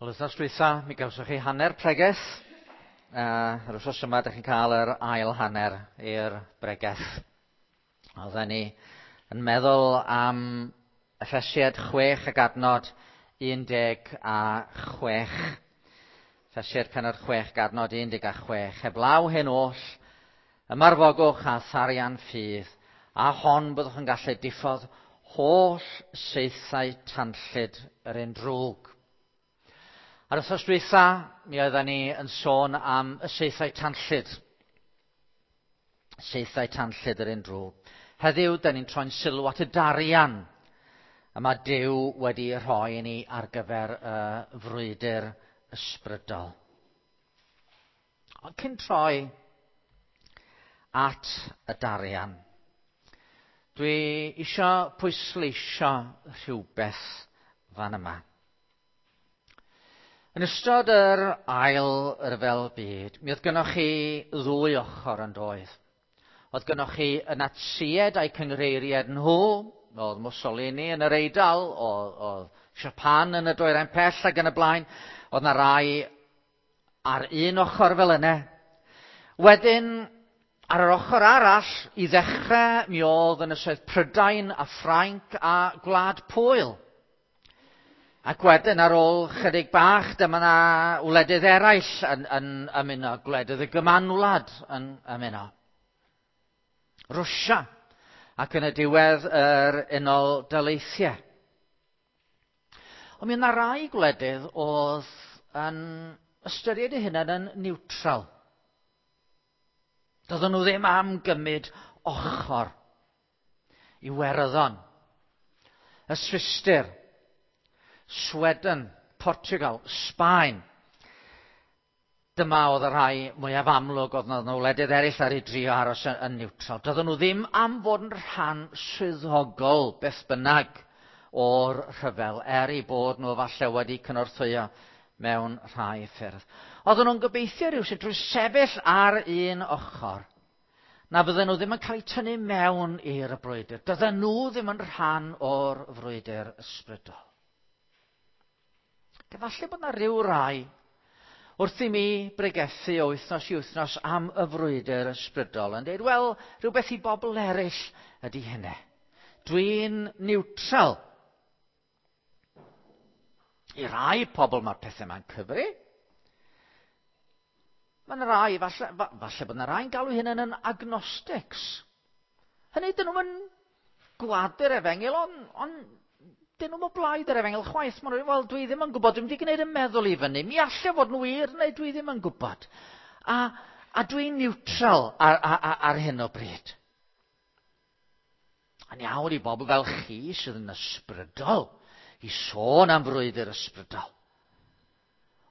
Wel, wythnos dwytha, mi gawsoch chi hanner pregeth. Yr wythnos yma, ydych chi'n cael yr ail hanner i'r bregeth. Oedden ni yn meddwl am Effesiad 6 ac adnod 16. Effesiad penod 6 ac adnod 16. Heblaw hyn oll, ymarfogwch a tharian ffydd, a hon byddwch yn gallu diffodd holl saethau tanllyd yr un drwg. Ar wythnos dwytha, mi oedden ni yn sôn am y saethau tanllyd. Saethau tanllyd yr un drwg. Heddiw, da ni'n troi'n sylw at y darian y mae Duw wedi rhoi i ni ar gyfer y frwydr ysbrydol. Ond cyn troi at y darian, dwi eisiau pwysleisio rhywbeth fan yma. Yn ystod yr ail ryfel byd, mi oedd gynnoch chi ddwy ochr yn doedd. Oedd gynnoch chi y Natsied a'i cyngreiriad nhw, oedd Mussolini yn yr Eidal, oedd, oedd Japan yn y dwyrain pell ac yn y blaen. Oedd na rai ar un ochr fel yna. Wedyn, ar yr ochr arall, i ddechrau, mi oedd ynysoedd Prydain a Ffrainc a Gwlad Pwyl. Ac wedyn ar ôl chydig bach, dyma na wledydd eraill yn, yn ymuno, gwledydd y Gymanwlad yn ymuno. Rwsia, ac yn y diwedd yr Unol Daleithiau. Ond mi yna rai gwledydd oedd yn ystyried eu hunain yn neutral. Doedden nhw ddim am gymryd ochr. Iwerddon, y Swistir, Sweden, Portugal, Sbaen. Dyma oedd y rhai mwyaf amlwg, oedd yna wledydd eraill ar ei drio aros yn, yn neutral. Doedden nhw ddim am fod yn rhan swyddogol beth bynnag o'r rhyfel, er eu bod nhw falle wedi cynorthwyo mewn rhai ffyrdd. Oedden nhw'n gobeithio rhywsut drwy sefyll ar un ochr na fydden nhw ddim yn cael eu tynnu mewn i'r brwydr. Dydden nhw ddim yn rhan o'r frwydr ysbrydol. Efallai bod yna rhyw rai wrth i mi bregethu o wythnos i wythnos am y frwydr ysbrydol yn dweud, wel, rhywbeth i bobl eraill ydy hynny. Dwi'n neutral. I rai pobl mae'r pethau yma'n cyfri. Mae yna rai, falle, falle bod yna rai'n galw hynny'n yn agnostics. Hynny, dyn nhw'n gwadu'r efengyl, ond on, dyn nhw'n o blaid yr efengyl chwaith. Maen nhw'n wel, dwi ddim yn gwybod, dwi'n wedi gwneud y meddwl i fyny. Mi allai fod yn wir, neu dwi ddim yn gwybod. A, a dwi'n neutral ar, ar, ar hyn o bryd. Yn iawn i bobl fel chi sydd yn ysbrydol i sôn am frwydr ysbrydol.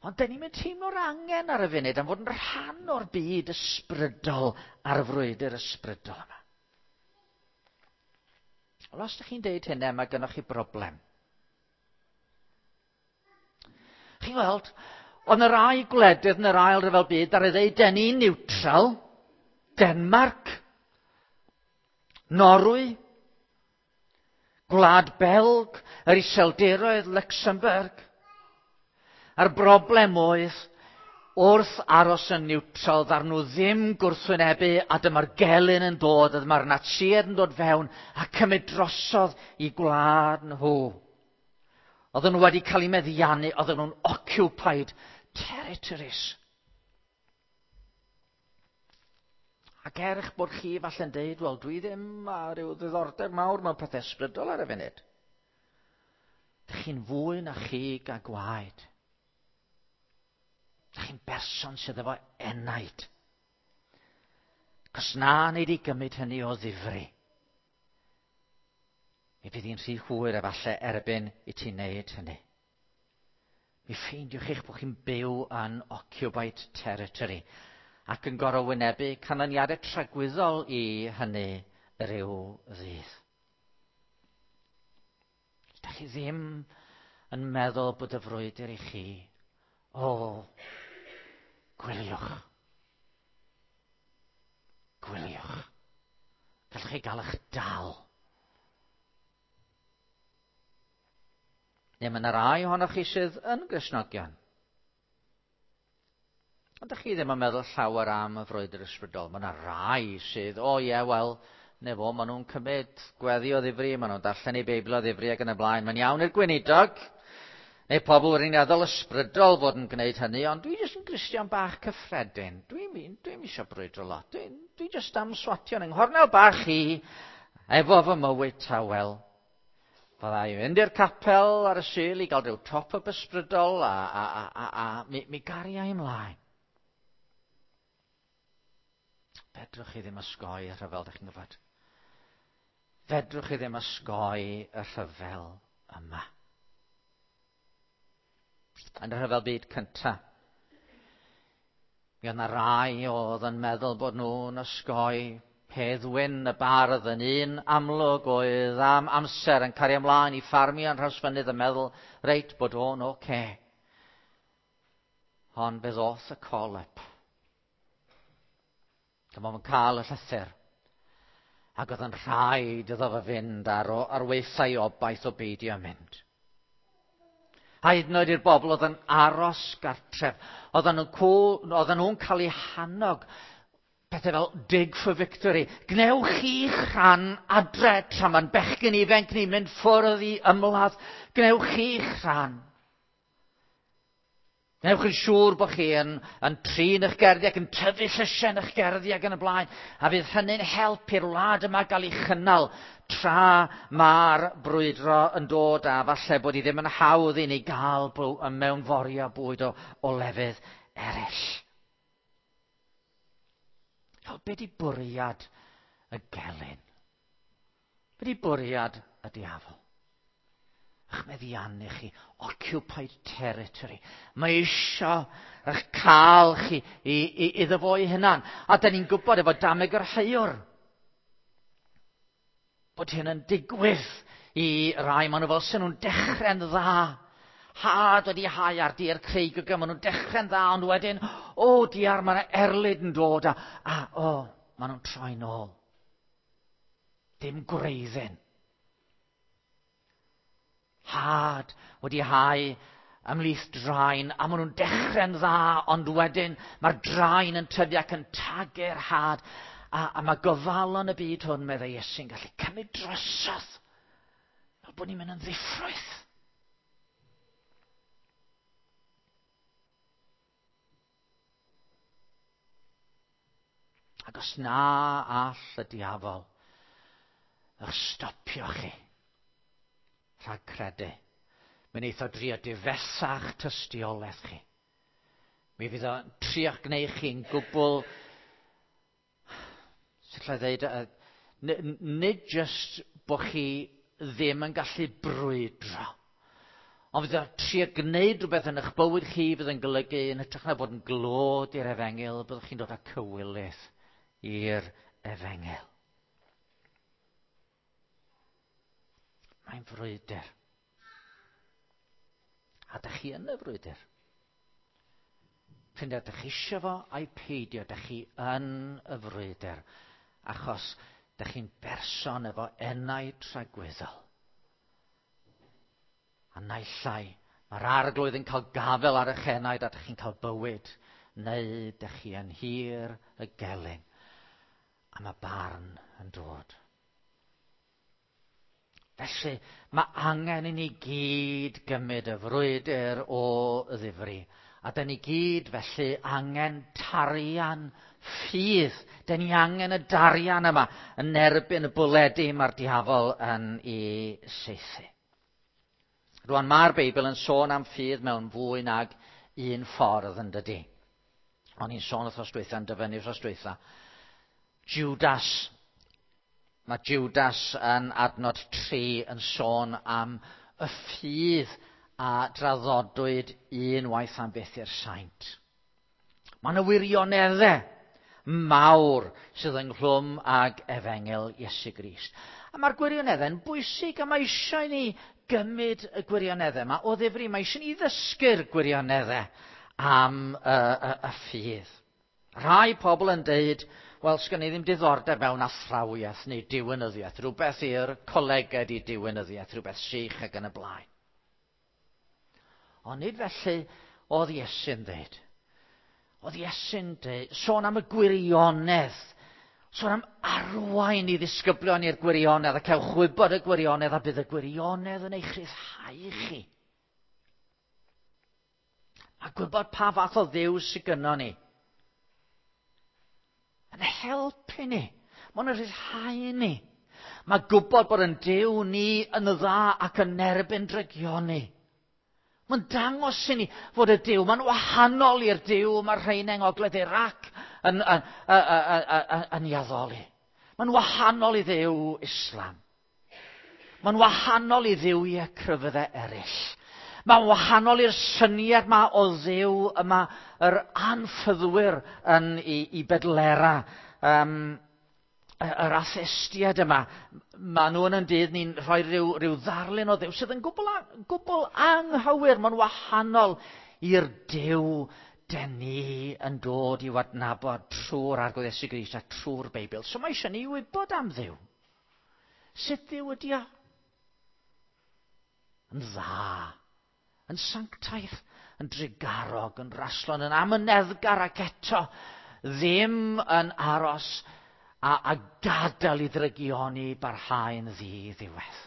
Ond dyn ni'n mynd teimlo'r angen ar y funud am fod yn rhan o'r byd ysbrydol a'r frwydr ysbrydol yma. Wel, os ydych chi'n deud hynny, mae gennych chi broblem. Chi'n gweld, ond y rai gwledydd yn yr ail ryfel byd ar ei ddeud, den ni'n neutral, Denmark, Norwy, Gwlad Belg, yr Iseldiroedd, Luxembourg. A'r broblem oedd, wrth aros yn niwtral, ddar nhw ddim gwrthwynebu, a dyma'r gelyn yn dod, a dyma'r Natsiaid yn dod fewn, a cymryd drosodd i gwlad nhw. Oedden nhw wedi cael eu meddiannu, oedden nhw'n occupied territories. Ac er eich bod chi falle'n deud, wel, dwi ddim â rhyw ddiddordeb mawr mewn pethau ysbrydol ar y funud. Dych chi'n fwy na chig a gwaed. Dych chi'n berson sydd efo enaid. Cos na wneud i gymryd hynny o ddifri. Mi fydd hi'n rhy hwyr efallai erbyn i ti wneud hynny. Mi ffeindiwch eich bod chi'n byw yn occupied territory ac yn gorfod wynebu canlyniadau tragwyddol i hynny ryw ddydd. Ydych chi ddim yn meddwl bod y frwydr i chi? O, gwyliwch. Gwyliwch. Gallwch chi gael eich dal. Neu mae yna rai ohonoch chi sydd yn Gristnogion. Ond ydych chi ddim yn meddwl llawer am y frwydr ysbrydol. Mae yna rai sydd, o ie, wel, ne fo, maen nhw'n cymryd gweddi o ddifri, maen nhw'n darllen eu Beibl o ddifri ac yn y blaen. Mae'n iawn i'r gweinidog, neu pobl wirioneddol ysbrydol fod yn gwneud hynny, ond dwi jyst yn Gristion bach cyffredin. Dwi'n dwi eisiau brwydro lot. Dwi'n dwi jyst am swatio yn nghornel bach i, efo fy mywyd tawel. Fydda i fynd i'r capel ar y Sul i gael rhyw top-up ysbrydol a, a, a, a, a mi, mi garia i ymlaen. Fedrwch chi ddim osgoi y rhyfel, ydych chi'n gwybod. Fedrwch chi ddim osgoi y rhyfel yma. Yn y rhyfel byd cyntaf, mi oedd yna rai oedd yn meddwl bod nhw'n osgoi Hedd Wyn y bardd yn un amlwg oedd am amser yn cario ymlaen i ffarmio yn Nhrawsfynydd yn meddwl reit bod o'n oce. Okay. Ond fe ddoth y call-up. Dyma fo'n cael y llythyr. Ac oedd yn rhaid iddo fe fynd ar, ar weithiau obaith o beidio mynd. A hyd yn oed i'r bobl oedd yn aros gartref, oedden nhw'n nhw'n cael eu hannog pethau fel dig for victory. Gnewch chi'ch rhan adre tra mae'n bechgyn ifanc ni'n mynd ffwrdd i ymladd. Gnewch chi'ch rhan. Gnewch yn siŵr bod chi yn, yn trin eich gerddi ac yn tyfu llysiau yn eich gerddi ac yn y blaen. A fydd hynny'n help i'r wlad yma gael ei chynnal tra mae'r brwydro yn dod a falle bod hi ddim yn hawdd i ni gael mewnforio bwyd o, o lefydd eraill. Fel be di bwriad y gelyn? Be di bwriad y diafol? Eich meddiannu chi, occupied territory. Mae isio eich cael chi i, i, iddo fo ei hunan. A da ni'n gwybod efo dameg yr heiwr bod hyn yn digwydd i rai. Maen nhw fel sy'n nhw'n dechrau'n dda. Had wedi hau ar dir creigog, maen nhw'n dechrau'n dda, ond wedyn, o diar, mae yna erlid yn dod, a, a o, maen nhw'n troi nôl. Dim gwreiddyn. Had wedi hau ymhlith draen, a maen nhw'n dechrau'n dda, ond wedyn mae'r draen yn tyfu ac yn tagu'r had. A, a mae gofalon y byd hwn, meddai Iesu'n gallu cymryd drosodd, fel bod ni'n mynd yn ddiffrwyth. Ac os na all y diafol eich stopio chi rhag credu, mi wneith o drio difesa'ch tystiolaeth chi. Mi fydd o'n trio'ch gwneud chi'n gwbl, sut lle ddeud, nid jyst bod chi ddim yn gallu brwydro, ond fydd o'n trio gwneud rhywbeth yn eich bywyd chi fydd yn golygu yn hytrach na bod yn glod i'r efengyl, byddwch chi'n dod â cywilydd i'r efengyl. Mae'n frwydr. A dych chi yn y frwydr. P'un ydych chi eisiau fo ai peidio, dych chi yn y frwydr. Achos dych chi'n berson efo enau tragwyddol. A naill ai, mae'r arglwydd yn cael gafel ar eich enaid a dych chi'n cael bywyd, neu dych chi yn hir y gelyn. A mae barn yn dod. Felly, mae angen i ni gyd gymryd y frwydr o ddifri. A da ni gyd felly angen tarian ffydd. Da ni angen y darian yma yn erbyn y bwledi mae'r diafol yn ei saethu. Rwan mae'r Beibl yn sôn am ffydd mewn fwy nag un ffordd yn dydy. O'n i'n sôn wrthnos dwytha, yn dyfynnu wrthnos dwytha. Judas. Mae Judas yn adnod 3 yn sôn am y ffydd a draddodwyd unwaith am byth i'r saint. Mae yna wirioneddau mawr sydd ynghlwm ag efengyl Iesu Grist. A mae'r gwirioneddau'n bwysig a mae eisiau ni gymryd y gwirioneddau yma o ddifri. Mae eisiau ni ddysgu'r gwirioneddau am y, y, y ffydd. Rhai pobl yn deud, wel, sgan i ddim diddordeb mewn athrawiaeth neu diwinyddiaeth, rhywbeth i'r colegau i diwinyddiaeth, rhywbeth sych ac yn y blaen. Ond nid felly oedd Iesu'n dweud. Oedd Iesu'n dweud, sôn am y gwirionedd, sôn am arwain i ddisgyblion i'r gwirionedd a cewch wybod y gwirionedd a bydd y gwirionedd yn eich rhyddhau chi. A gwybod pa fath o Dduw sydd gynnon ni. Yn helpu ni. Mae'n rhyddhau ni. Mae gwybod bod yn Duw ni yn dda ac yn erbyn drygioni. Mae'n dangos i ni fod y Duw, mae'n wahanol i'r Duw mae'r rhain yng Ngogledd Iraq yn, yn, yn, yn, yn ei addoli. Mae'n wahanol i Dduw Islam. Mae'n wahanol i dduwiau crefyddau eraill. Mae'n wahanol i'r syniad yma o Dduw yma yr anffyddwyr yn i, i bedlera. Um, yr atheistiaid yma, maen nhw yn yn dydd ni'n rhoi rhyw, rhyw ddarlun o Dduw sydd yn gwbl, gwbl anghywir. Mae'n wahanol i'r Duw den ni yn dod i'w adnabod trwy'r Arglwydd Iesu Grist a trwy'r Beibl. So mae eisiau ni wybod am Dduw. Sut Dduw ydi o? Yn dda, yn sanctaidd, yn drugarog, yn raslon, yn amyneddgar ac eto ddim yn aros a, a gadael i ddrygioni barhau'n ddi-ddiwedd.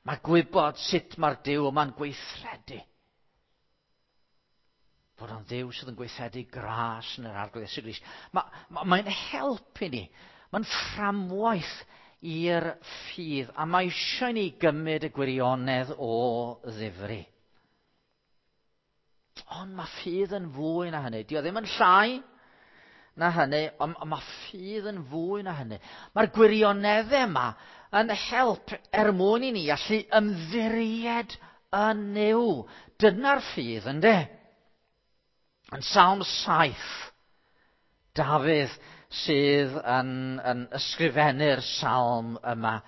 Mae gwybod sut mae'r Duw yma'n gweithredu. Fod o'n Dduw sydd yn gweithredu gras yn yr Arglwydd Iesu Grist. Mae'n ma, mae help i ni. Mae'n fframwaith i'r ffydd. A mae eisiau ni gymryd y gwirionedd o ddifri. Ond mae ffydd yn fwy na hynny. Dio ddim yn llai na hynny, ond mae ffydd yn fwy na hynny. Mae'r gwirioneddau yma yn help er mwyn i ni allu ymddiried yn Nuw. Dyna'r ffydd, ynddo? Yn Salm 7, Dafydd sydd yn, yn ysgrifennu'r salm yma.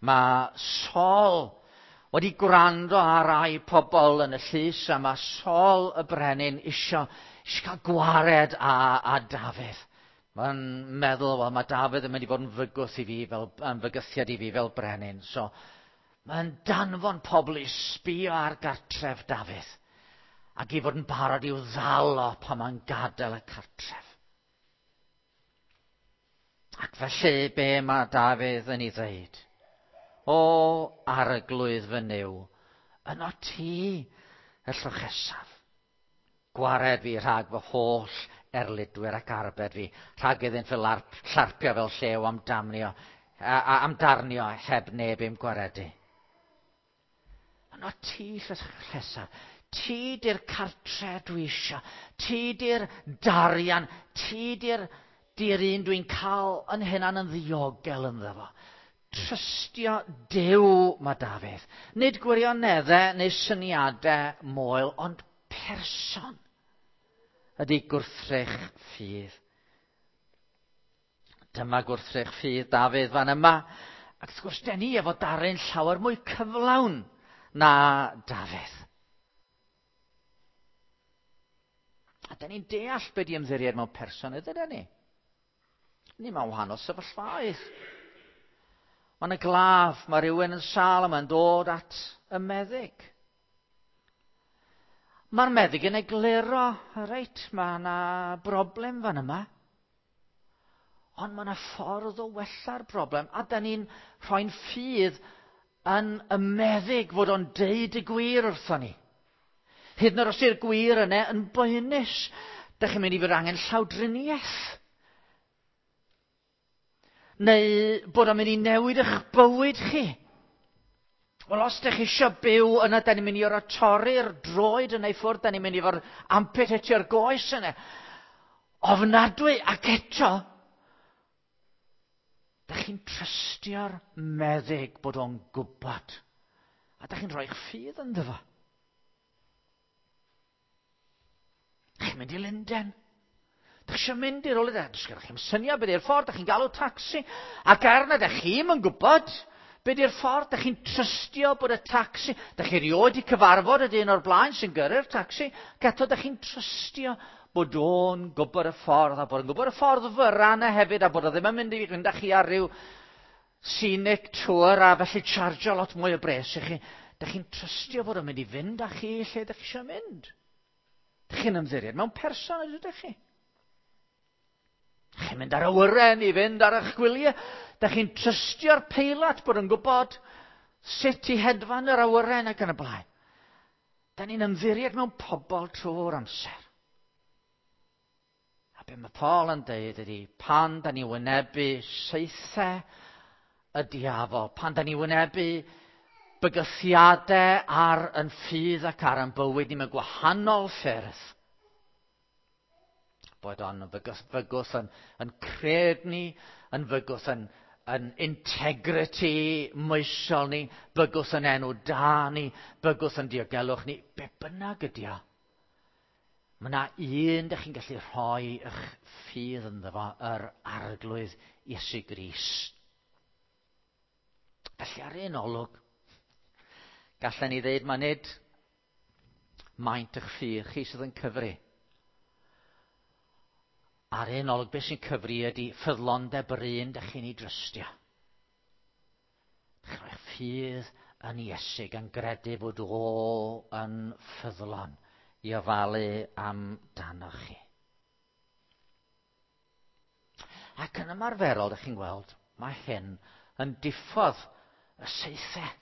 Mae Saul wedi gwrando ar rai pobl yn y llys a mae Saul y brenin isio, isio cael gwared â, â Dafydd. Mae'n meddwl, wel, mae Dafydd yn mynd i fod yn fygwth i fi, fel, yn fygythiad i fi fel brenin. So, mae'n danfon pobl i sbio ar gartref Dafydd ac i fod yn barod i'w ddal o pan mae'n gadael y cartref. Ac felly, be mae Dafydd yn ei ddeud? O, arglwydd fy Nuw, yno ti y llochesaf. Gwared fi rhag fy holl erlidwyr ac arbed fi, rhag iddynt fy larp, llarpio fel llew am damnio, a, a, am darnio heb neb i'm gwaredu. Yno ti llesaf. Ti di'r cartre dwi eisiau. Ti di'r darian. Ti di'r di'r un dwi'n cael yn hunan yn ddiogel ynddo fo. Trystio Duw mae Dafydd. Nid gwirioneddau neu syniadau moel, ond person ydy gwrthrych ffydd. Dyma gwrthrych ffydd Dafydd fan yma. Ac wrth gwrs, den ni efo darlun llawer mwy cyflawn na Dafydd. A da ni'n deall be di ymddiried mewn person ydyn ni. Ni mewn wahanol sefyllfaoedd. Mae'n y glaf, mae rhywun yn sâl a mae'n dod at y meddyg. Mae'r meddyg yn egluro, reit, mae yna broblem fan yma. Ond mae yna ffordd o wella'r broblem, a da ni'n rhoi'n ffydd yn y meddyg fod o'n deud y gwir wrthon ni. Hyd yn oed os yw'r gwir yna yn boenus, da chi'n mynd i fod angen llawdriniaeth. Neu bod o'n mynd i newid eich bywyd chi. Wel, os ydych chi eisiau byw yna, da ni'n mynd i orfod torri'r droed yna i ffwrdd, da ni'n mynd i fod amputatio'r goes yna. Ofnadwy, ac eto, da chi'n trystio'r meddyg bod o'n gwybod. A da chi'n rhoi'ch ffydd ynddo fo. Chi'n mynd i Lundain. Da chi eisiau mynd i'r rhywle, does gennych chi'm syniad beth yw'r ffordd, da chi'n galw tacsi, ac er na da chi'm yn gwybod beth yw'r ffordd, da chi'n trystio bod y tacsi, da chi erioed wedi cyfarfod y dyn o'r blaen sy'n gyrru'r tacsi, ac eto da chi'n trystio bod o'n gwybod y ffordd, a bod o'n gwybod y ffordd fyra yna hefyd, a bod o ddim yn mynd i fynd â chi ar ryw scenic tour a felly chargio lot mwy o bres i chi. Da chi'n trystio bod o'n mynd i fynd â chi lle da chi eisiau mynd. Dych chi'n ymddiried mewn person ydych chi? Chi'n mynd ar awyren i fynd ar eich gwyliau. Dych chi'n trystio'r peilot bod yn gwybod sut i hedfan yr awyren ac yn y blaen. Da ni'n ymddiried mewn pobl trwy'r amser. A be mae Paul yn deud ydy, pan da ni wynebu saethau y diafol, pan da ni wynebu bygythiadau ar yn ffydd ac ar yn bywyd ni mewn gwahanol ffyrdd, bod o'n fygwth yn cred ni, yn fygwth yn integrity moesol ni, bygwth yn enw da ni, bygwth yn diogelwch ni, be bynnag ydi o. Mae yna un dych chi'n gallu rhoi eich ffydd ynddo fo, yr Arglwydd Iesu Grist. Felly ar un olwg, gallen ni ddeud mae nid maint eich ffydd chi sydd yn cyfri. Ar un olwg, beth sy'n cyfri ydy ffyddlondeb yr un dych chi'n ei drystio. Dych chi'n rhoi'ch ffydd yn Iesu gan gredu fod o yn ffyddlon i ofalu amdanoch chi. Ac yn ymarferol, dych chi'n gweld, mae hyn yn diffodd y saethau.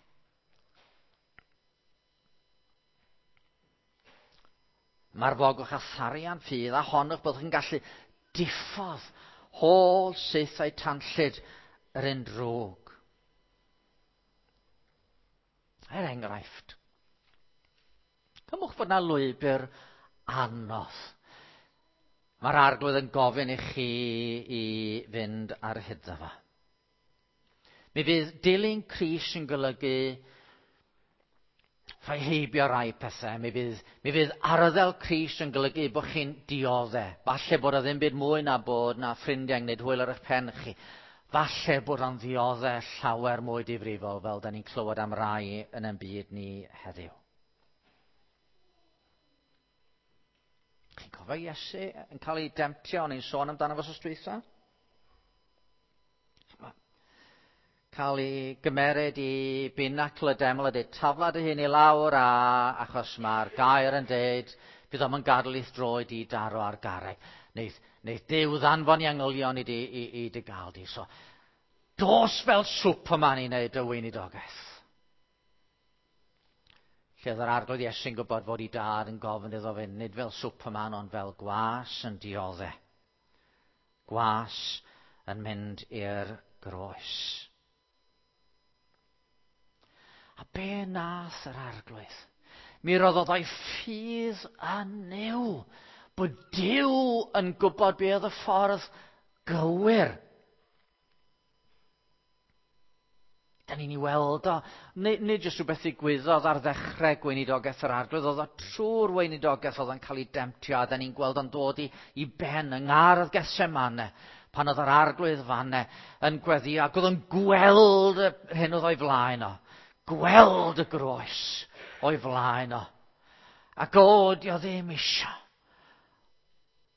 Mae'r fogwch a tharian ffydd a honwch bod chi'n gallu diffodd holl saethau tanllyd yr un drwg. Er enghraifft, cymwch fod na lwybr anodd. Mae'r Arglwydd yn gofyn i chi i fynd ar hyd fo. Mi fydd dilyn Crist yn golygu rhoi heibio rai pethau. Mi fydd arddel Crist yn golygu bod chi'n dioddau. Falle bod o ddim byd mwy na bod na ffrindiau yn gwneud hwyl ar eich pen chi. Falle bod o'n ddioddau llawer mwy difrifol fel da ni'n clywed am rai yn ein byd ni heddiw. Chi'n cofio Iesu yn cael ei demtio, o'n i'n sôn amdano fo wsos dwytha? Cael ei gymeryd i binacl y deml a dweud tafla dy hun i lawr a achos mae'r gair yn dweud bydd o'm yn gadael i'th droed i daro ar garreg. Neith Duw ddanfon i angylion i dy gael di. So, dos fel Superman i wneud y weinidogaeth. Lle oedd yr Arglwydd Iesu'n gwybod fod ei dad yn gofyn iddo fynd, nid fel Superman, ond fel gwas yn dioddau. Gwas yn mynd i'r groes. A be nath yr Arglwydd? Mi roddodd o'i ffydd yn Nuw, bod Duw yn gwybod be oedd y ffordd gywir. Da ni'n ei weld o, nid jyst rhywbeth ddigwyddodd ar ddechrau gweinidogaeth yr Arglwydd, oedd o trwy'r weinidogaeth oedd o'n cael ei demtio, a da ni'n gweld o'n dod i ben yng ngardd Gethsemane, pan oedd yr Arglwydd fanne yn gweddio, ac oedd o'n gweld yr hyn oedd o'i flaen o. Gweld y groes o'i flaen o. Ac o, di o ddim isio.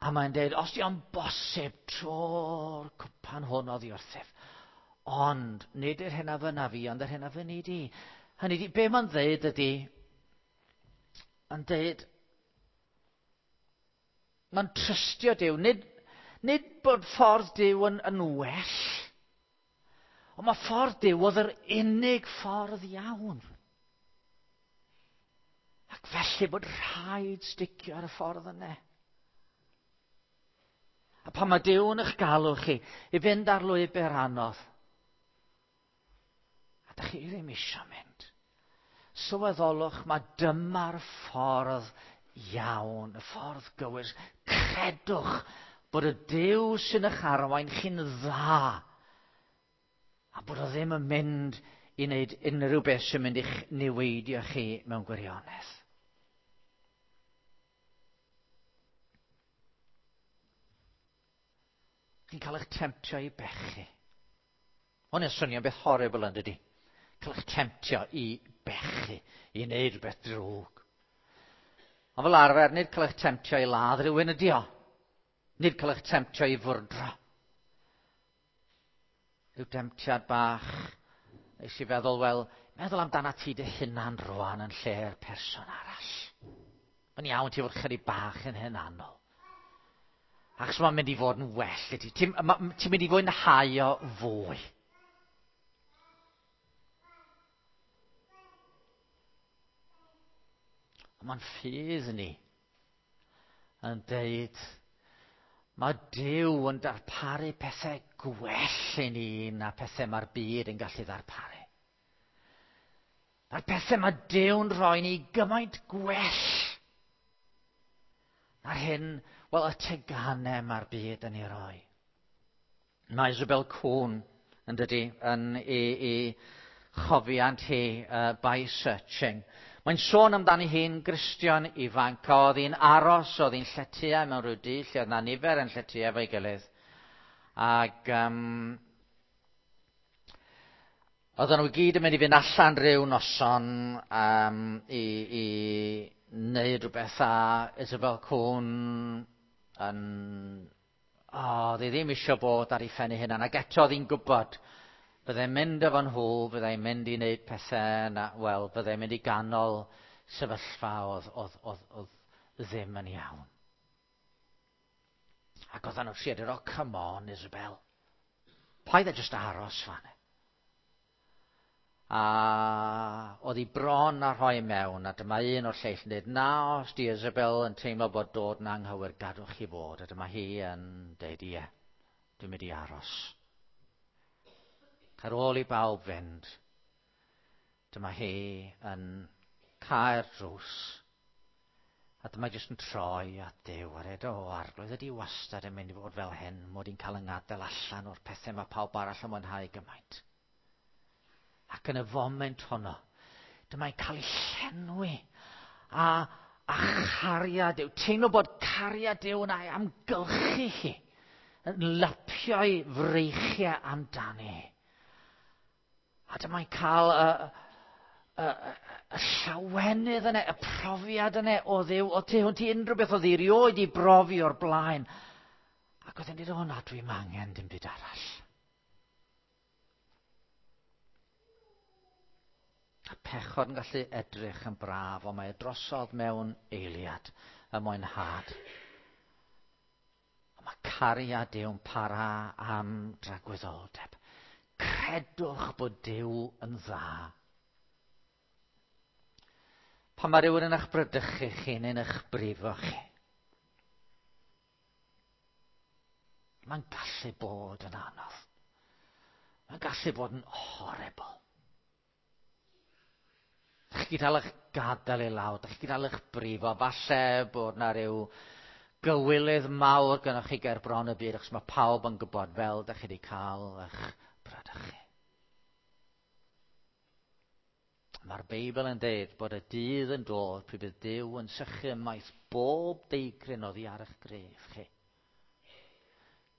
A mae'n dweud, os di o'n bosib, tro'r cwpan hwn oddi wrthyf. Ond, nid yr hyn a fynna fi, ond yr hyn a fynni di. Hynny di, be mae'n dweud ydy, yn dweud, mae'n trystio Duw, nid bod ffordd Duw yn well, ond mae ffordd Duw oedd yr unig ffordd iawn. Ac felly bod rhaid sticio ar y ffordd yna. A pan mae Duw yn eich galw chi i fynd ar lwybr anodd, a dych chi ddim eisiau mynd, sylweddolwch mae dyma'r ffordd iawn, y ffordd gywir. Credwch bod y Duw sy'n eich arwain chi'n dda, a bod o ddim yn mynd i wneud unrhyw beth sy'n mynd i'ch niweidio chi mewn gwirionedd. Chi'n cael eich temtio i bechu. Hwn yn swnio'n beth horrible yn dydi? Cael eich temtio i bechu, i wneud rhywbeth drwg. Ond fel arfer, nid cael eich temtio i ladd rhywun ydi o. Nid cael eich temtio i fwrdro. Rhyw demtiad bach, nes i feddwl, wel, meddwl amdana ti dy hunan rwan yn lle'r person arall. Mae'n iawn ti fod chydig bach yn hunanol. Achos mae'n mynd i fod yn well i ti. Ti'n ti mynd i fwynhau o fwy. Mae'n ffydd ni yn deud mae Duw yn darparu pethau gwell i ni na pethau mae'r byd yn gallu ddarparu. Mae'r pethau mae Duw'n rhoi ni gymaint gwell na'r hyn, wel, y teganau mae'r byd yn ei roi. Mae Isabel Kuhn, yn dydy, yn ei chofiant hi, By Searching. Mae'n sôn amdani hi'n Gristion ifanc, oedd hi'n aros, oedd hi'n lletya mewn rhyw dŷ, lle oedd 'na nifer yn lletya efo'i gilydd. Ac oedden nhw i gyd yn mynd i fynd allan rhyw noson i wneud rhywbeth, a Isabel Kuhn yn... O, oedd hi ddim eisiau bod ar ei phen ei hunan, ac eto oedd hi'n gwybod byddai'n mynd efo nhw, byddai'n mynd i wneud pethau, na, wel, byddai'n mynd i ganol sefyllfa oedd ddim yn iawn. Ac oedden nhw'n trio dweud, "Oh, come on, Isabel. Paid â jyst aros fan." A oedd hi bron a rhoi mewn, a dyma un o'r lleill yn dweud, "Na, os di Isabel yn teimlo bod dod yn anghywir, gadwch chi fod." A dyma hi yn dweud, "Ie, dwi'n mynd i aros." Ar ôl i bawb fynd, dyma hi yn cau'r drws. A dyma jyst yn troi at Duw a dweud, "O, Arglwydd, ydy wastad yn mynd i fod fel hyn, mod i'n cael yng ngadael allan o'r pethau mae pawb arall yn mwynhau gymaint?" Ac yn y foment honno, dyma'n cael ei llenwi a chariad Duw. Teimlo bod cariad Duw yn ei amgylchu hi, yn lapio'i freichiau amdani. A dyma'n cael y llawenydd yna, y profiad yna o Dduw, o tu hwnt i unrhyw beth oedd hi erioed 'di brofi o'r blaen. Ac oedd hi'n dweud, "O na, dwi'n angen dim byd arall." A pechod yn gallu edrych yn braf, ond mae e drosodd mewn eiliad, y mwynhad. A mae cariad Duw'n para am dragwyddoldeb. Credwch bod Duw yn dda. Pan mae rhywun yn eich bradychu chi neu'n eich brifo chi, mae'n gallu bod yn anodd. Mae'n gallu bod yn horrible. Dych chi gael eich gadael i lawr, dych chi gael eich brifo. Falle bod na ryw gywilydd mawr gynnwch chi ger bron y byd, achos mae pawb yn gwybod fel dych chi wedi cael eich bradychu. Mae'r Beibl yn dweud bod y dydd yn dod pryd bydd Duw yn sychu ymaith bob deigryn oddi ar eich greddf chi.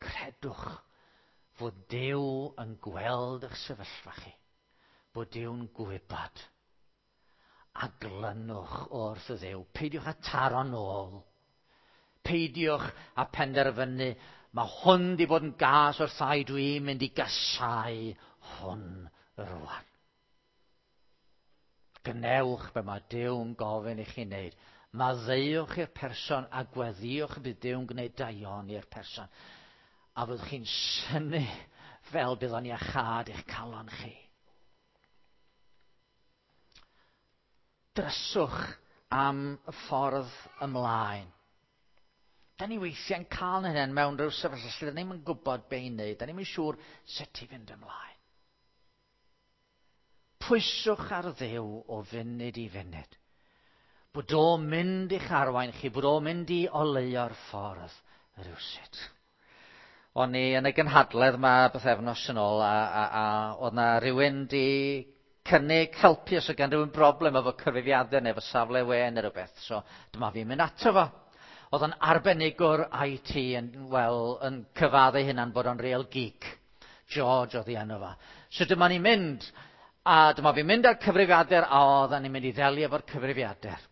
Credwch fod Duw yn gweld eich sefyllfa chi, bod Duw'n gwybod. A glynwch wrth y Dduw. Peidiwch â taro nôl. Peidiwch â penderfynu, "Mae hwn di bod yn gas wrtha i, dwi'n mynd i gasau hwn rwan." Gwnewch be mae Duw'n gofyn i chi wneud. Maddeuwch i'r person a gweddïwch y bydd Duw'n gwneud daioni i'r person. A fyddwch chi'n synnu fel bydd o'n iachâd i'ch calon chi. Dryswch am y ffordd ymlaen. Da ni weithiau'n cael hynny mewn rhyw sefyllfa lle da ni'm yn gwybod be i wneud, da ni'm yn siŵr sut i fynd ymlaen. Pwyswch ar Dduw o funud i funud. Bod o'n mynd i'ch arwain chi, bod o'n mynd i oleuo'r ffordd rhywsut. O'n i yn y gynhadledd yma bythefnos yn ôl a oedd na rhywun di cynnig helpu os oedd gan rhywun broblem efo cyfrifiadur neu efo safle we neu rhywbeth. So dyma fi'n mynd ato fo. Oedd o'n arbenigwr IT yn, wel, yn cyfadde hunan bod o'n real geek. George oedd ei enw fo. So dyma ni'n mynd, a dyma fi'n mynd â'r cyfrifiadur, a oedden ni'n mynd i ddelio efo'r cyfrifiadur.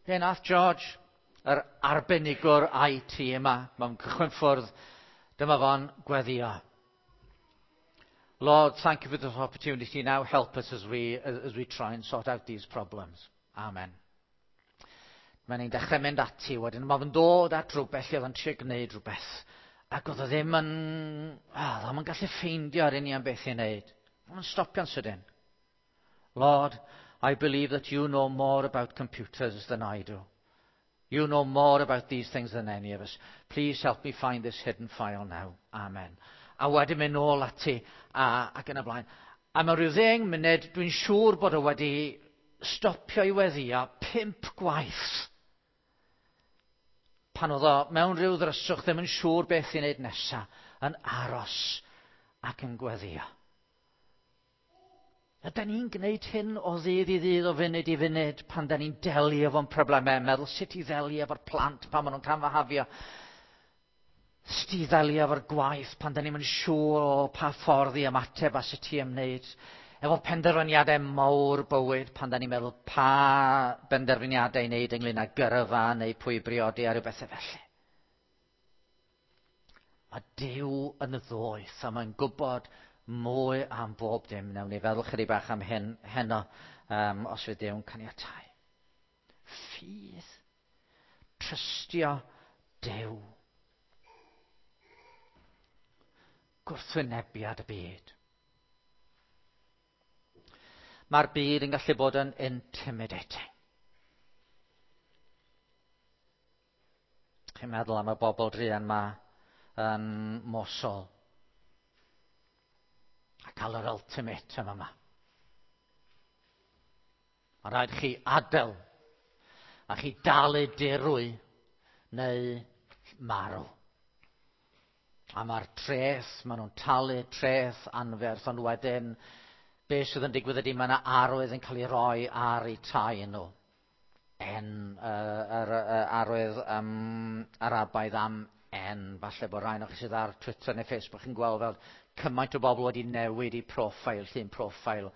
Be nath George, yr arbenigwr IT yma, mewn cychwyn ffwrdd, dyma fo'n gweddio. "Lord, thank you for this opportunity. Now help us as we try and sort out these problems. Amen." Mae'n ein dechrau mynd ati wedyn. Mae fe'n dod at rhywbeth lle oedd o'n trio gwneud rhywbeth. Ac oedd o ddim yn... Oh, ddim yn gallu ffeindio ar union beth i wneud. Mae'n stopio'n sydyn. Lord, I believe that you know more about computers than I do. You know more about these things than any of us. Please help me find this hidden file now. Amen. A wedyn mynd nôl ati a, ac yn y blaen. A mewn rhyw ddeng munud, dwi'n siŵr bod o wedi stopio i weddio pump gwaith. Pan oedd o mewn rhyw ddryswch ddim yn siŵr beth i wneud nesaf, yn aros ac yn gweddio. Ydy ni'n gwneud hyn o ddydd i ddydd, o funud i funud, pan da ni'n delio efo'n problemau, meddwl sut i ddelio efo'r plant pan maen nhw'n camfahafio, sut i ddelio efo'r gwaith pan da ni'n mynd siŵr o pa ffordd i ymateb a sut i ymwneud, efo penderfyniadau mawr bywyd pan da ni'n meddwl pa benderfyniadau i wneud ynglyn â gyrfa neu pwy briodi a rhyw bethau felly. Mae Duw yn ddoeth a mae'n gwybod mwy am bob dim. Newn ni feddwl chydig bach am hyn heno um, os fydd Duw'n caniatau. Ffydd. Trystio Duw. Gwrthwynebiad y byd. Mae'r byd yn gallu bod yn intimidating. Chi'n meddwl am y bobl druan ma yn Mosul a cael yr ultimatum yma. Mae rhaid chi adael a chi dalu dirwy neu marw. A mae'r treth, maen nhw'n talu treth anferth, ond wedyn be sydd yn digwydd ydy mae yna arwydd yn cael ei roi ar eu tai nhw. En, uh, yr, uh, arwydd um, Arabaidd am en. Falle bod rhai o'ch chi sydd ar Twitter neu Facebook yn gweld fel cymaint o bobl wedi newid i profile, llun profile,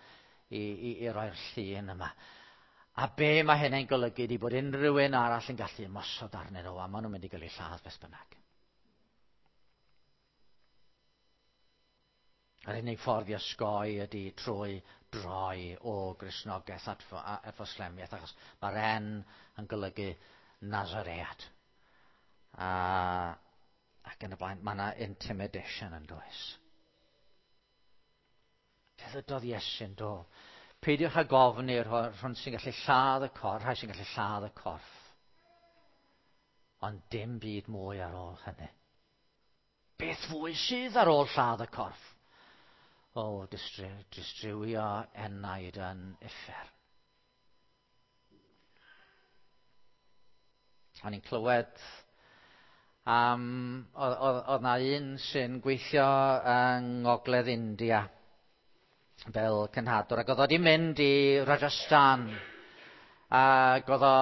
i, i, i roi'r llun yma. A be mae hynny'n golygu ydy bod unrhyw un arall yn gallu ymosod arnyn nhw a maen nhw'n mynd i gael eu lladd beth bynnag. Yr unig ffordd i osgoi ydy trwy droi o Gristnogaeth at, at Foslemiaeth, achos mae'r N yn golygu Nazaread. A, ac yn y blaen, mae yna intimidation yn does. Fe ddydodd Iesu'n do. Peidiwch â gofn i'r rhwn sy'n gallu lladd y corff, rhai sy'n gallu lladd y corff. Ond dim byd mwy ar ôl hynny. Beth fwy sydd ar ôl lladd y corff? O, distrywio enaid yn uffern. O'n i'n clywed am... Oedd na un sy'n gweithio yng Ngogledd India fel cenhadwr, ac oedd o wedi mynd i Rajasthan, ac oedd o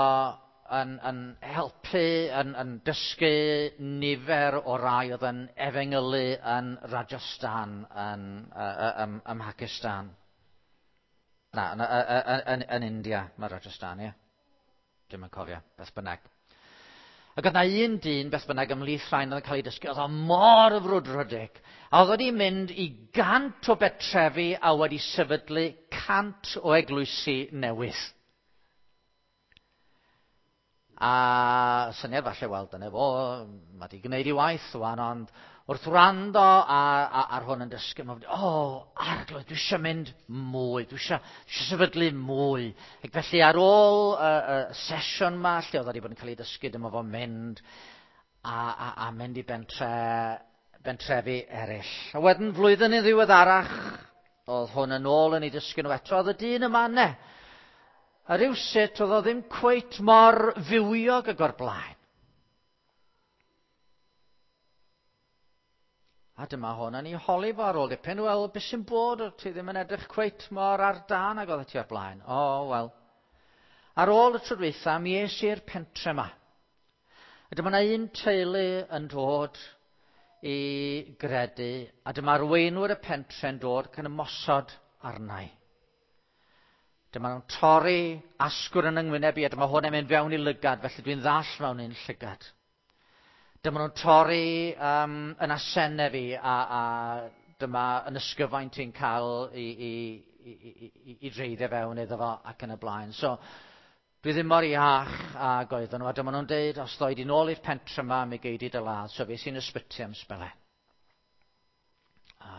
yn, yn helpu, yn, yn dysgu nifer o rai oedd yn efengylu yn Rajasthan, yn, ym, ym Mhakistan. Na, yn, yn, yn, yn India mae Rajasthan, ie. Dwi'm yn cofio, beth bynnag. Ac oedd na un dyn, beth bynnag, ymhlith rhain oedd yn cael ei dysgu, oedd o mor frwdfrydig. A oedd wedi mynd i gant o betrefi a wedi sefydlu cant o eglwysi newydd. A syniad falle, wel, dyna fo, mae wedi gwneud ei waith wan, ond wrth wrando ar, ar, ar hwn yn dysgu, mae'n o, oh, arglwydd, dwi eisiau mynd mwy, dwi eisiau, dwi eisiau sefydlu mwy. Ac felly ar ôl y, y sesiwn ma, lle oedd wedi bod yn cael ei dysgu, dyma fo'n mynd a, a, a mynd i bentre, bentrefi eraill. A wedyn flwyddyn yn ddiweddarach, oedd hwn yn ôl yn ei dysgu nhw eto, oedd y dyn yma ne. A rhywsut oedd o ddim cweit mor fywiog ag o'r blaen. A dyma hwn yn ei holi fo ar ôl dipyn, wel, beth sy'n bod, o ti ddim yn edrych cweit mor ar dân ag oedd ti o'r blaen. O, oh, wel. Ar ôl y tro dwytha, mi es i'r pentre yma. A dyma yna un teulu yn dod i gredu, a dyma arweinwyr y pentre'n dod ac yn ymosod arnau. Dyma nhw'n torri asgwrn yn yngwyneb i, a dyma hwn yn mynd fewn i lygad, felly dwi'n ddall mewn un llygad. Dyma nhw'n torri um, yn asennau fi, a, a dyma yn ysgyfaint i'n cael i, i, i, i, i, i dreiddio fewn iddo fo ac yn y blaen. So, Dwi ddim mor iach ag oedden nhw, a dyma nhw'n deud, os ddoi di nôl i'r pentre yma, mi gei di dy ladd. So fe sy'n ysbyty am sbelen. A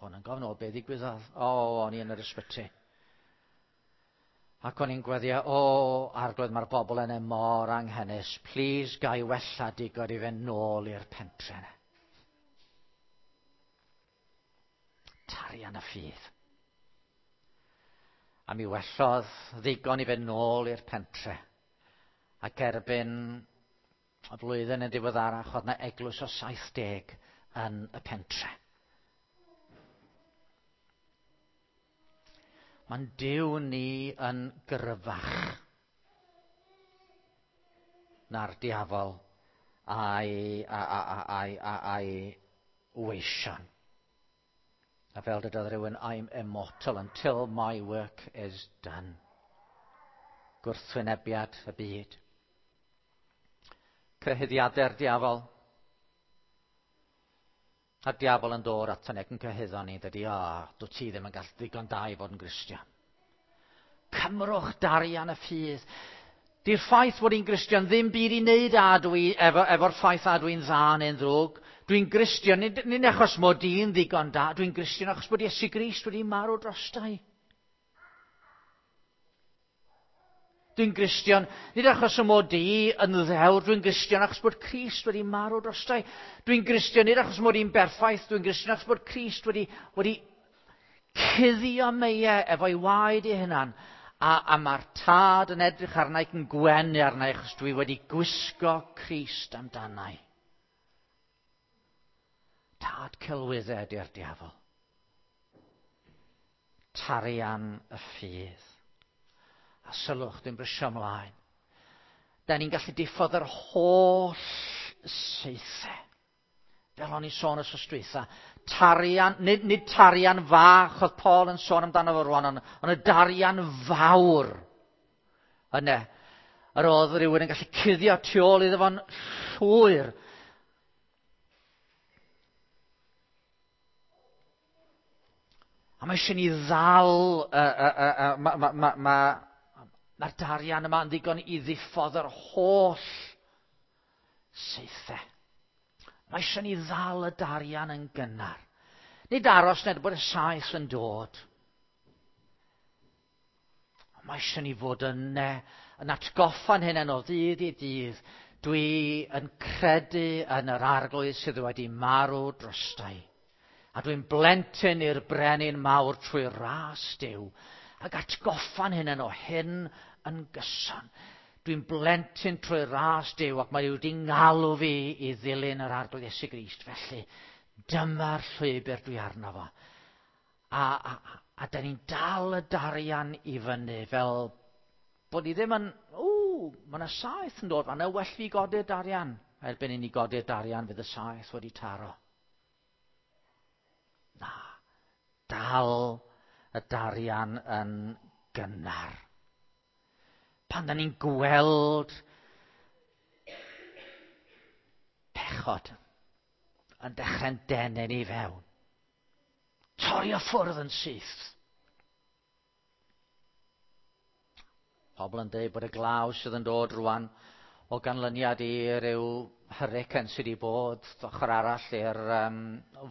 hwn yn gofyn, o, be ddigwyddodd? O, o'n i yn yr ysbyty. Ac o'n i'n gweddio, o, arglwydd, mae'r bobl yna mor anghenus. Please, gai wella digon i fynd nôl i'r pentre yna. Tarian y ffydd. A mi wellodd ddigon i fynd nôl i'r pentre. Ac erbyn y flwyddyn yn diweddarach, oedd yna eglwys o 70 yn y pentre. Mae'n Duw ni yn gryfach na'r diafol a'i, a, a, a, a'i, a, a'i weision. A fel dydodd rhywun, I'm immortal until my work is done. Gwrthwynebiad y byd. Cyhuddiadau'r diafol. A'r diafol yn dod ato ni ac yn cyhuddo ni, dydy, o, dwi ti ddim yn gallu ddigon da i fod yn Gristion. Cymrwch darian y ffydd. Di'r ffaith bod i'n Gristion ddim byd i wneud â dwi, efo, efo'r ffaith a dwi'n dda neu'n ddrwg. Dwi'n Gristion, nid, nid achos mod i'n ddigon da, dwi'n Gristion achos bod Iesu Grist wedi marw drostai. Dwi'n Gristion, nid achos y mod i yn ddewr, dwi'n Gristion achos bod Crist wedi marw drostai. Dwi'n Gristion, nid achos mod i'n berffaith, dwi'n Gristion achos bod Crist wedi, wedi cuddio meiau efo'i waed ei hunan. A, a mae'r tad yn edrych arna ac yn gwenu arna achos dwi wedi gwisgo Crist amdanau. Tad celwyddau ydy'r diafol. Tarian y ffydd. A sylwch, dwi'n brysio ymlaen. Da ni'n gallu diffodd yr holl saethau. Fel o'n i'n sôn wsos dwytha, tarian, nid, nid tarian fach oedd Paul yn sôn amdano fo rwan, ond, ond y darian fawr yna. Yr oedd rhywun yn gallu cuddio tu ôl iddo fo'n llwyr. A mae eisiau ni ddal, mae'r ma, ma, ma, ma darian yma yn ddigon i ddiffodd yr holl saethau. Mae eisiau ni ddal y darian yn gynnar. Nid aros nid bod y saeth yn dod. Mae eisiau ni fod yna, yn atgoffa'n hynny o ddydd i ddydd. Dwi yn credu yn yr arglwydd sydd wedi marw drostai. A dwi'n blentyn i'r brenin mawr trwy ras Duw. Ac atgoffa'n hynny o hyn yn gyson. Dwi'n blentyn trwy ras Duw ac mae wedi ngalw fi i ddilyn yr Arglwydd Iesu Grist. Felly, dyma'r llwybr dwi arno fo. A, a, a da ni'n dal y darian i fyny fel bod ni ddim yn, ww, mae yna saeth yn dod, mae yna well fi godi'r darian. Erbyn i ni godi'r darian, fydd y saeth wedi taro. Na, dal y darian yn gynnar. Pan da ni'n gweld pechod yn dechrau'n denu ni fewn. Torri o ffwrdd yn syth. Pobl yn dweud bod y glaw sydd yn dod rwan o ganlyniad i ryw hurricane sydd wedi bod ochr arall i'r um,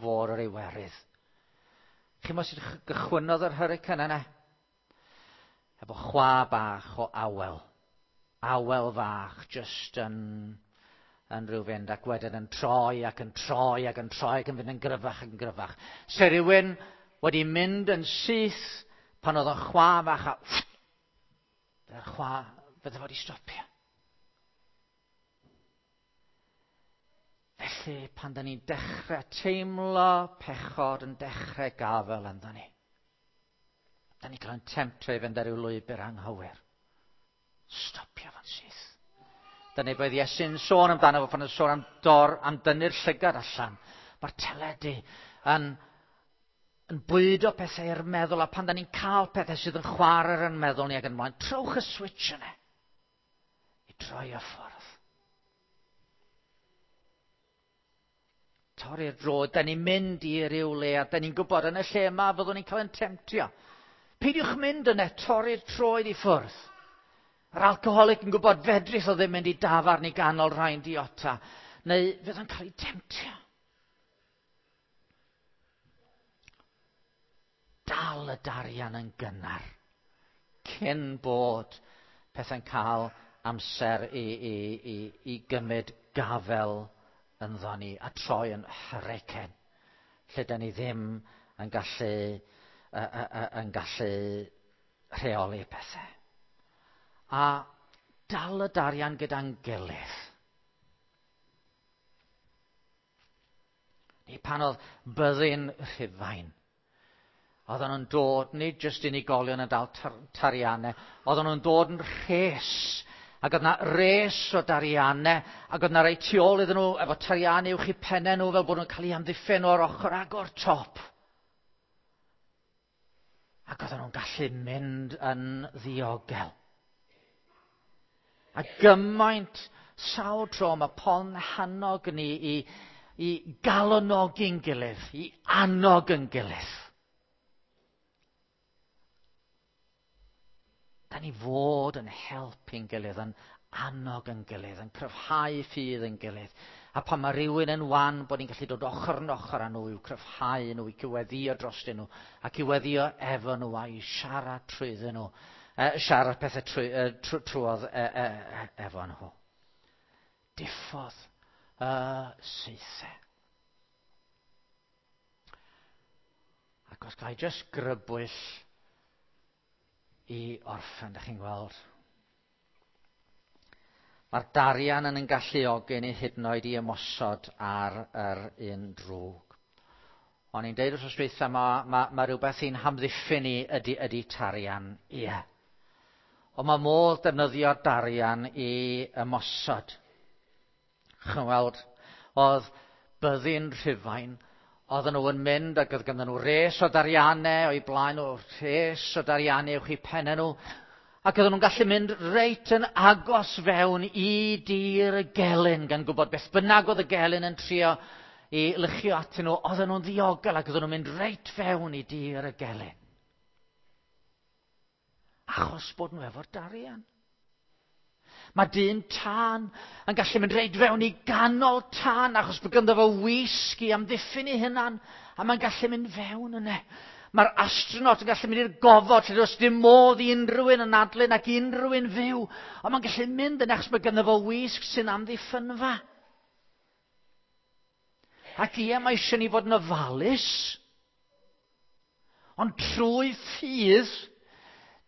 fôr yr Iwerydd. Chi'n meddwl sut gychwynnodd yr hurricane yna? Efo chwa bach o awel. Awel fach, just yn, yn rhyw fynd ac wedyn yn troi ac yn troi ac yn troi ac yn fynd yn gryfach ac yn gryfach. Se rhywun wedi mynd yn syth pan oedd o'n chwa fach a fydde'r chwa, fydde fod i stopio. Felly, pan da ni'n dechrau teimlo pechod yn dechrau gafel ynddo ni, da ni'n cael yn temtio i fynd ar ryw lwybr anghywir. Stopio fo'n syth. Dyna beth Iesu'n sôn amdano fo pan yn sôn am dor, am dynnu'r llygad allan. Mae'r teledu yn, yn bwydo pethau i'r meddwl, a pan da ni'n cael pethau sydd yn chwarae ar yn meddwl ni ac yn ymlaen, trowch y switch yna i droi y ffordd. Torri'r droed, da ni'n mynd i ryw le a da ni'n gwybod yn y lle yma fyddwn ni'n cael ein temtio. Peidiwch mynd yna, torri'r troed i ffwrdd. Yr alcoholic yn gwybod fedrith o ddim mynd i dafarn i ganol rhai'n diota, neu fydd o'n cael ei temtio. Dal y darian yn gynnar, cyn bod pethau'n cael amser i gymryd gafel ynddo ni a troi yn hurricane, lle da ni ddim yn gallu rheoli pethau. A dal y darian gyda'n gilydd. Ni pan oedd byddin Rhufain, oedden nhw'n dod, nid jyst unigolion yn dal tariannau, oedden nhw'n dod yn rhes. Ac oedd yna res o dariannau, ac oedd yna rei tu ôl iddyn nhw efo tariannau uwch eu pennau nhw fel bod nhw'n cael eu amddiffyn o'r ochr ag o'r top. Ac oedden nhw'n gallu mynd yn ddiogel. A gymaint sawl tro mae Paul'n hannog ni i galonogi'n gilydd, i annog yn gilydd. Da ni fod yn helpu'n gilydd, yn annog yn gilydd, yn cryfhau ffydd yn gilydd. A pan mae rhywun yn wan, bod ni'n gallu dod ochr yn ochr â nhw i'w cryfhau nhw, i cyweddio drostyn nhw, ac i weddio efo nhw a i siarad trwyddyn nhw. Siarad pethau trwodd efo nhw. Diffodd y saethau. Ac os ga i just grybwyll i orffen, ydych chi'n gweld. Mae'r darian yn galluogi ni hyd yn oed i ymosod ar yr un drwg. O'n i'n deud wrth dweitha, mae rhywbeth i'n hamddiffyn ni ydy tarian. Ie. Yeah. Ond mae modd defnyddio'r darian i ymosod. Chi'n weld, oedd byddin Rhufain, oedden nhw yn mynd ac oedd ganddyn nhw res o dariannau o'i blaen nhw, res o dariannau uwch eu pennau nhw, ac oedden nhw'n gallu mynd reit yn agos fewn i dir y gelyn, gan gwybod beth bynnag oedd y gelyn yn trio i luchio atyn nhw, oedden nhw'n ddiogel ac oedden nhw'n mynd reit fewn i dir y gelyn. Achos bod nhw efo'r darian. Mae dyn tân yn gallu mynd reit fewn i ganol tân achos bod ganddo fo wisg i amddiffyn ei hunan a mae'n gallu mynd fewn yna. Mae'r astronaut yn gallu mynd i'r gofod lle does dim modd i unrhyw un anadlu ac unrhyw un fyw. Ond mae'n gallu mynd yna achos mae ganddo fo wisg sy'n amddiffynfa. Ac ie, mae eisiau ni fod yn ofalus. Ond trwy ffydd,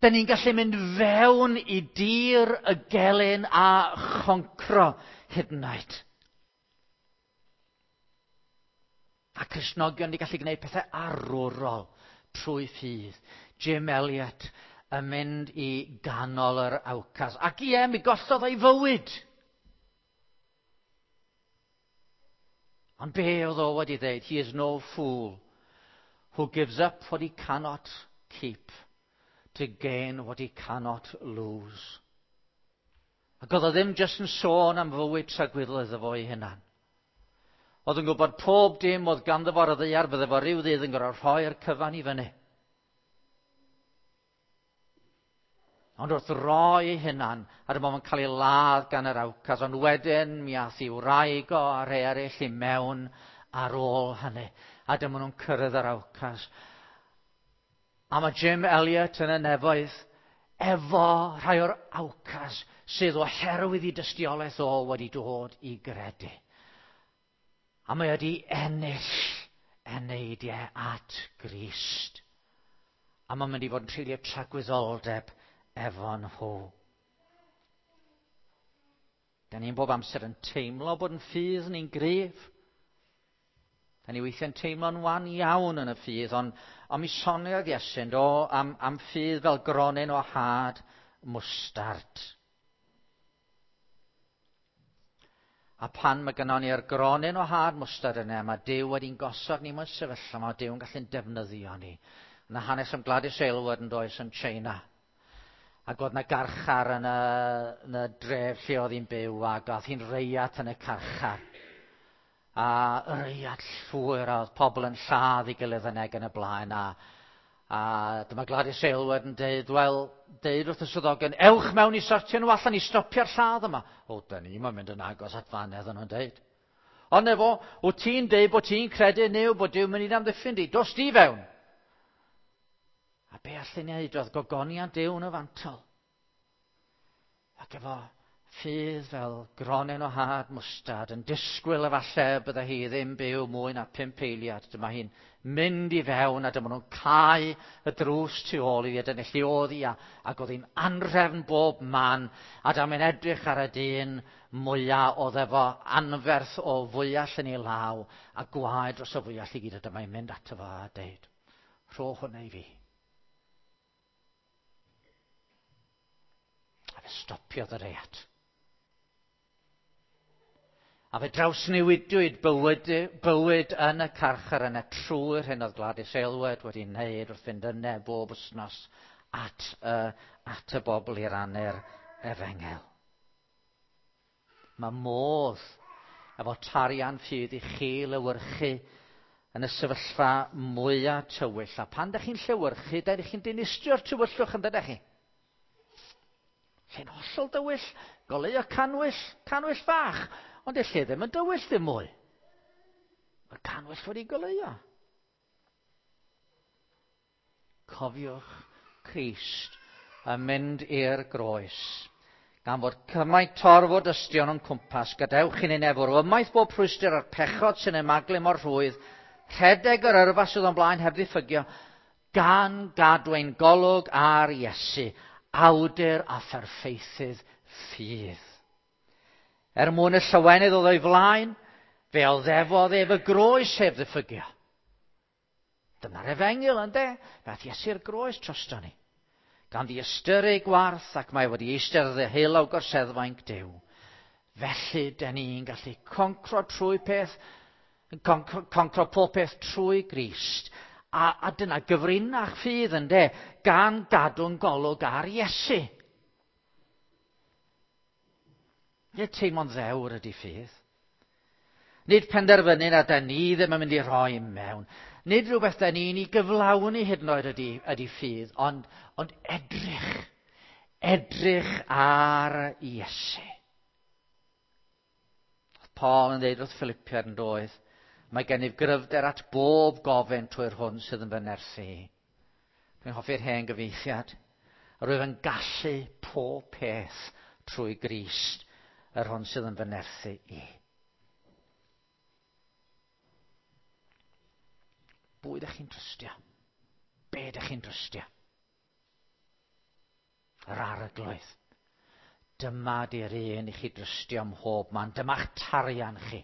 da ni'n gallu mynd fewn i dir y gelyn a choncro hyd yn oed. A Cristnogion ni gallu gwneud pethau arwrol trwy ffydd. Jim Elliot yn mynd i ganol yr Aucas. Ac ie, mi gollodd o'i fywyd. Ond be oedd o wedi dweud? "He is no fool who gives up what he cannot keep to gain what he cannot lose." Ac oedd o ddim jyst yn sôn am fywyd tragwyddol iddo fo ei hunan. Oedd yn gwybod pob dim oedd ganddo fo ar y ddaear, bydde fo ryw ddydd yn gorfod rhoi'r cyfan i fyny. Ond wrth roi ei hunan, a dyma fo'n cael ei ladd gan yr Aucas, ond wedyn mi ath ei wraig o a rhai eraill i mewn ar ôl hynny. A dyma nhw'n cyrraedd yr Aucas. A mae Jim Elliot yn y nefoedd efo rhai o'r Aucas sydd oherwydd i dystiolaeth o wedi dod i gredu. A mae wedi ennill eneidiau at Grist. A mae'n mynd i fod yn treulio tragwyddoldeb efo nhw. Da ni'n bob amser yn teimlo bod yn ffydd ni'n gryf. Da ni weithiau'n teimlo'n wan iawn yn y ffydd, ond mi soniodd Iesu do am ffydd fel gronyn o had mwstard. A pan mae gynnon ni'r gronyn o had mwstard yna, mae Duw wedi'n gosod ni mewn sefyllfa, mae Duw yn gallu'n defnyddio ni. Yna hanes am Gladys Aylward yn does yn China. Ac oedd yna garchar yn y dref lle oedd hi'n byw, ac oedd hi'n reiat yn y carchar. A reiat llwyr, a oedd pobl yn lladd ei gilydd yn eg yn y blaen. A A dyma Gladys Aylward yn deud, wel, deud wrth y swyddogion, ewch mewn i sortio nhw allan i stopio'r lladd yma. O, da ni mae'n mynd yn agos at fanedd nhw'n deud. Ond efo, wyt ti'n deud bod ti'n credu Nuw, bod Duw mynd i'n amddiffyn di, dos di fewn. A be allan ni wneud oedd gogoniant Duw yn y fantol. Ac efo ffydd fel gronen o had mwstad yn disgwyl efallai bydde hi ddim byw mwy na 5 eiliad. Dyma hi'n mynd i fewn a dyma nhw'n cau y drws tu ôl iddi a dyna lle oedd hi ac oedd hi'n anrhefn bob man a dyma'n edrych ar y dyn mwyaf oedd efo anferth o fwyall yn ei law a gwaed dros y fwyall i gyd a dyma hi'n mynd ato fo a deud, rho hwnna i fi. A fe stopiodd y reiat. A fe drawsnewidiwyd bywyd, bywyd yn y carchar yna trwy'r hyn oedd Gladys Aylward wedi wneud wrth fynd yna bob wythnos at y, at y bobl i rannu'r efengel. Mae modd efo tarian ffydd i chi lewyrchu yn y sefyllfa mwyaf tywyll. A pan ydych chi'n llewyrchu, ydych chi'n dinistrio'r tywyllwch yn dydych chi? Lle'n hollol dywyll, goleuo canwyll, canwyll fach, ond y lle ddim yn dywyll ddim mwy. Mae'r canwyll wedi goleuo. Cofiwch Crist yn mynd i'r groes. Gan fod cymaint torf o dystion o'n cwmpas, gadewch i ni nefwr ymaith bob rhwystr a'r pechod sy'n ymaglu mor rhwydd, rhedeg yr yrfa sydd o'n blaen heb ddiffygio, gan gadw ein golwg ar Iesu, awdur a pherffeithydd ffydd. Er mwyn y llawenydd oedd o'i flaen, fe oddefodd ef y groes heb ddiffygio. Dyna'r efengyl, ynddo? Fe aeth Iesu'r groes drosto ni. Gan ddiystyru gwarth ac mae wedi eistedd ddeheulaw gorseddfainc Duw. Felly, dyn ni'n gallu concro trwy peth, concro pob peth trwy Grist. A, a dyna gyfrinach ffydd ynddo, gan gadw'n golwg ar Iesu. Nid teimlo'n ddewr ydy ffydd. Nid penderfynu na da ni ddim yn mynd i rhoi mewn. Nid rhywbeth da ni'n ei gyflawni hyd yn oed ydy, ydy ffydd, ond, ond edrych. Edrych ar Iesu. Oedd Paul yn dweud wrth Philippiad yn doedd, mae gennyf gryfder at bob gofyn trwy'r hwn sydd yn fy nerthu. Dwi'n hoffi'r hen gyfeithiad. Rwyf yn gallu pob peth trwy Grist yr hwn sydd yn fy nerthu i. Bwy ydych chi'n trystio? Be ydych chi'n trystio? Yr arglwydd. Dyma di'r un i chi drystio ym mhob man. Dyma'ch tarian chi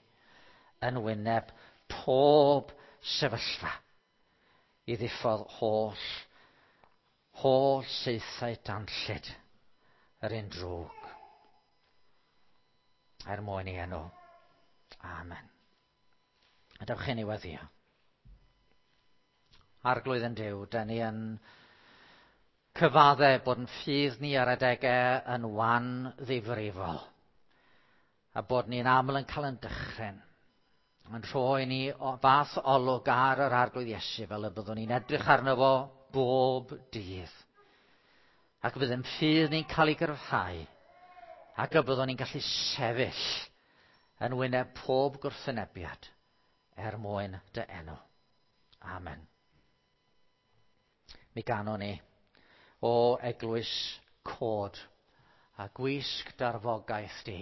yn wyneb pob sefyllfa i ddiffodd holl, holl saethau danllyd yr un drwg er mwyn i enw. Amen. A dewch i ni weddio. Arglwydd yn Duw, da ni yn cyfadde bod yn ffydd ni ar adegau yn wan ddifrifol a bod ni'n aml yn cael yn dychryn yn rhoi ni o fath olwg ar yr arglwydd Iesu fel y byddwn ni'n edrych arno fo bob dydd. Ac bydd yn ffydd ni'n cael ei gryfhau ac y byddwn ni'n gallu sefyll yn wyneb pob gwrthwynebiad er mwyn dy enw. Amen. Mi ganwn ni o eglwys cod a gwisg darfogaeth di,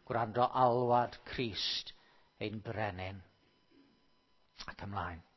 gwrando alwad Crist ein brenin. Ac ymlaen.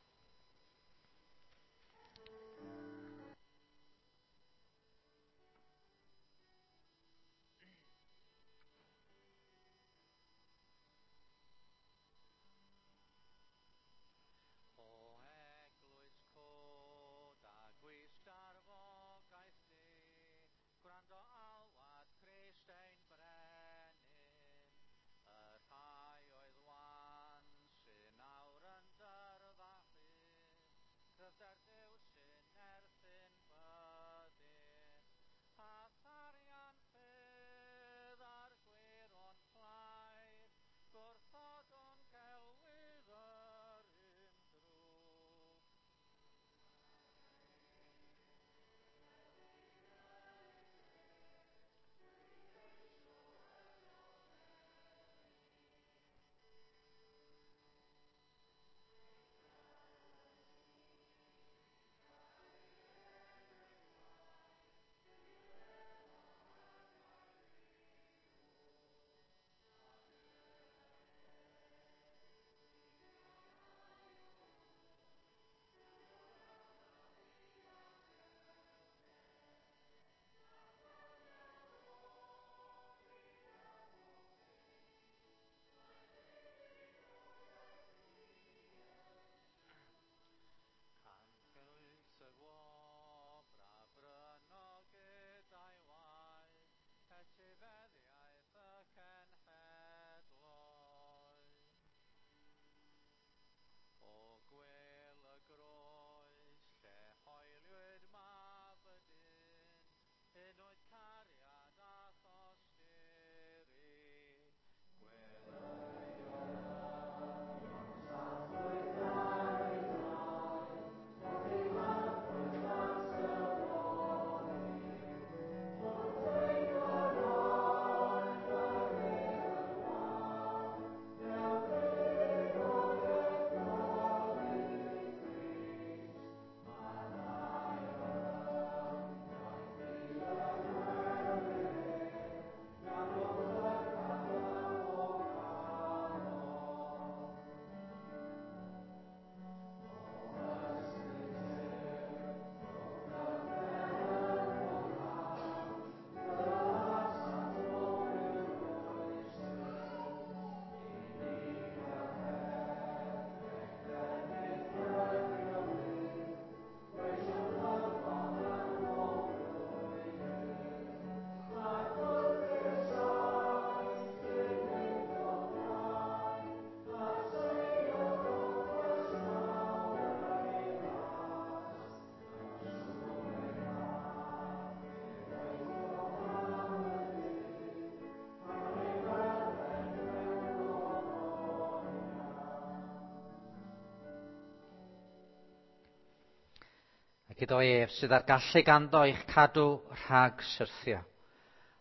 Ac iddo ef sydd â'r gallu ganddo i'ch cadw rhag syrthio,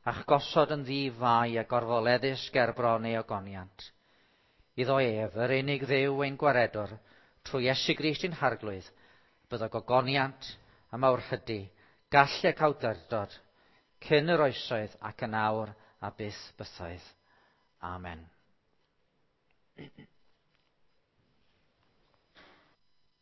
a'ch gosod yn ddi-fai a gorfoleddus ger bron ei ogoniant. Iddo ef, yr unig Dduw ein gwaredwr, trwy Iesu Grist ein Harglwydd, byddo gogoniant a mawrhydi, gallu ac awdurdod, cyn yr oesoedd ac yn awr a byth bythoedd. Amen.